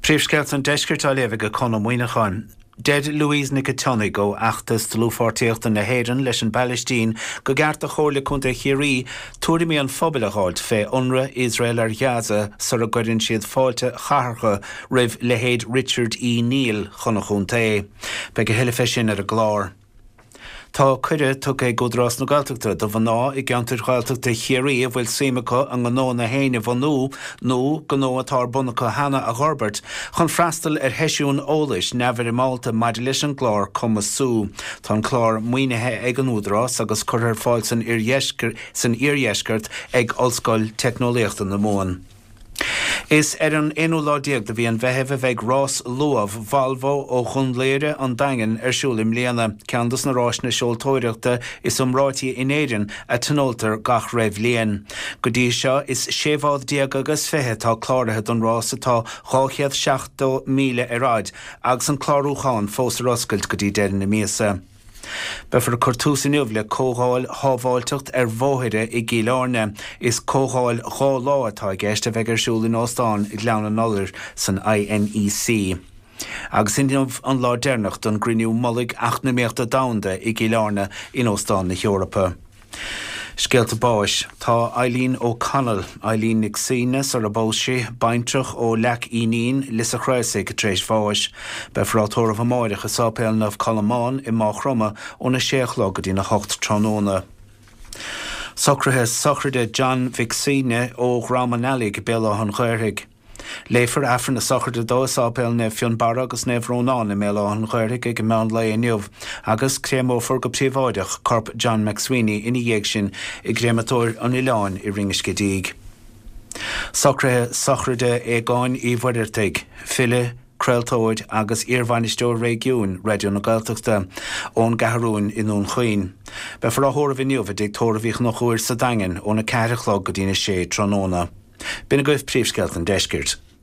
Príomhscéalta an Deiscirt á léamh ag Conn Ó Muíneacháin. Deir Louise Nic an tSionnaigh ó Fheachtas Dlúthpháirtíochta na hÉireann leis an bPailistín go gceart do Chomhairle Contae Chiarraí tuairimí an phobail a dh'fháilt fé ionradh Iosrael ar Ghaza sara gcuireann siad fáilte chathartha roimh leithéid Richard E Neill chun an chontae. Beidh a thuilleadh fé sin ar an gclár. Tá cuireadh tugtha ag Údarás na Gaeltachta do mhná i gceantair Ghaeltachta Chiarraí a bhfuil suim acu a ngnónna féin a bhunú nó gnó atá ar bun acu cheana a dh'fhorbairt chun freastal ar sheisiún eolais neamhfhoirmeálta maidir leis an gclár Cumasú. Tá an clár maoinithe ag an Údarás agus curtha ar fáil san iardheisceart ag Ollscoil Teicneolaíochta na Mumhan. Is ar an aonú lá déag de mhí an Mheithimh a bheidh Rás Luamh Volvo ó Dhún Laoghaire, An Daingean ar siúl i mbliana, ceann dos na ráiseanna seoltóireachta is iomráití in Éirinn a tionóltar gach re bhliain. Go dtí seo is sé bhád déag agus 20 atá cláraithe don rás atá 270 míle ar fhaid agus an clárúchán fós ar oscailt go dtí deireadh na míosa. Beifear ag cur tús inniu le Comhdháil Shábháilteacht ar Bhóithre i gCill Airne. Is comhdháil 2 lá atá i gceist a bheidh ar siúl in Óstán Ghleann an Iolair san INEC. Agus inniu an lá deireanach don gCruinniú Mullaigh Eacnamaíochta Domhanda i gCill Airne in Óstán na hEorpa. Scéalta báis. Tá Eileen O'Connell, Eileen Nic Suibhne sar a bpós sí, baintreach ó Leac Fhínín, Lios a' Chraosaigh, tar éis bháis. Beifear á tórramh amáireach i Sáipéal Naomh Colmán i Máigh Chromtha óna sé a chlog go dtína hocht tráthnóna. Socruithe sochraide John Mhic Suibhne ó Dhrom an Eallaigh, Béal Átha an Ghaorthaidh. Léifear Aifreann na sochraide dó i Sáipéal Naomh Fionnbarra agus Naomh Rónán i mBéal Átha an Ghaorthaidh ag meán lae inniu agus créamófar go príobháideach corp John McSweeney ina dhiaidh sin i gCréamatóir an Oileáin i Rinn Scidígh. Socruithe sochraide Aogáin Uí Mhuircheartaigh, file, craoltóir agus iarbhainisteoir réigiúin Raidió na Gaeltachta, ón gCeathrúin i nDún Chaoin. Beifear á thórramh inniu i dTigh Tórraimh Uí Chonchúir sa Daingean óna 4 a chlog go dtína 6 tráthnóna. B'in agaibh príomhscéalta an deiscirt.